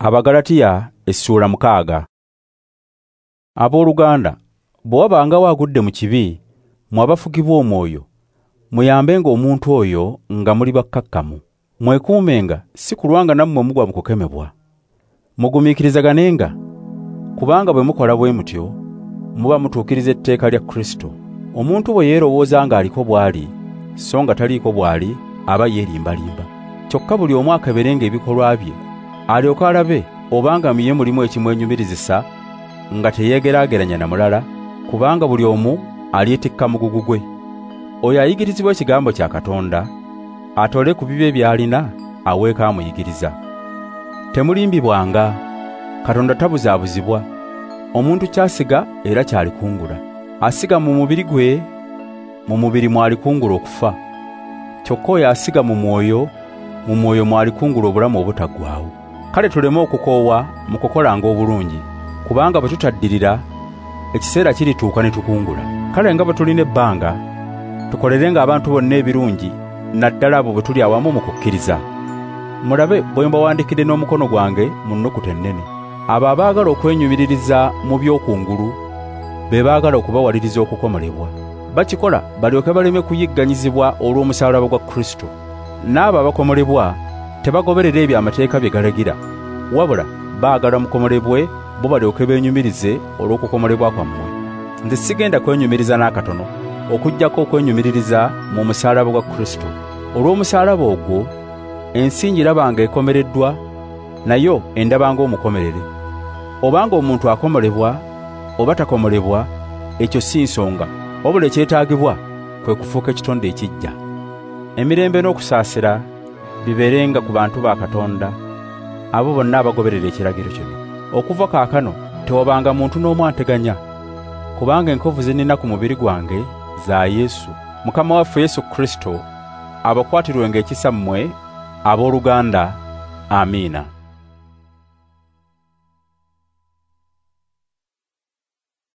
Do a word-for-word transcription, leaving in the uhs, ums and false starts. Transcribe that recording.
Abagalatiya essuula mukaaga. Abooluganda, bwe wabanga wagudde mu kibi, mmwe abafugibwa omwoyo, muyambenga omuntu oyo nga muli bakkakkamu. Mwekuumenga si kulwanga nammwe mugwa mu kukemebwa. Mugumiikirizaganenga, kubanga bwe mukola bwe mutyo, muba mutuukiriza etteeka lya Kristo. Omuntu bwe yeerowooza ng'aliko bw'ali, so nga taliiko bw'ali, aba yeerimbalimba. Kyokka buli omu akeberenga ebikolwa bye, alyoke alabe obanga mu ye mulimu ekimwenyumirizisa nga teyeegeraageranya na mulala, kubanga buli omu alyetikka mugugu gwe. Oyo ayigirizibwa ekigambo kya Katonda, atole ku bibye by'alina aweeko amuyigiriza. Temulimbibwanga, Katonda tabuzaabuzibwa. Omuntu ky'asiga era ky'alikungula. Asiga mu mubiri gwe, mu mubiri mw'alikungula okufa. Kyokka oyo asiga mu mwoyo, mu mwoyo mw'alikungula obulamu obutaggwaawo. Kale tuleme okukoowa mu kukolanga obulungi, kubanga bwe tutaddirira, ekiseera kirituuka ne tukungula. Kale nga bwe tulina ebbanga, tukolerenga abantu bonna ebirungi, naddala abo bwe tuli awamu mu kukkiriza. Mulabe bwe mbawandiikidde n'omukono gwange mu nnukuta ennene. Abo abaagala okwenyumiririza mu by'okungulu be baagala okubawaliriza okukomolebwa. Bakikola balyoke baleme kuyigganyizibwa olw'omusaalaba gwa Kristo. N'abo abakomolebwa tebagoberera ebyo amateeka bye galagira, wabula baagala mukomolebwe bo balyoke beenyumirize olw'okukomolebwa kwammwe. Nze sigenda kwenyumiriza n'akatono, okuggyako okwenyumiririza mu musaalaba gwa Kristo. Olw'omusaalaba ogwo ensi ngiraba ekomereddwa, nayo endaba ng'omukomerere. Obanga omuntu akomolebwa oba takomolebwa, ekyo si nsonga, wabula ekyetaagibwa kwe kufuuka ekitonde ekiggya. Emirembe n'okusaasira bibeerenga ku bantu ba Katonda, abo bonna abagoberera ekiragiro kino. Okuva kaakano tewabanga muntu n'omu anteganya, kubanga enkovu ze nnina ku mubiri gwange za Yesu. Mukama waffe Yesu Kristo abakwatirwenga ekisa mmwe abooluganda. Amiina.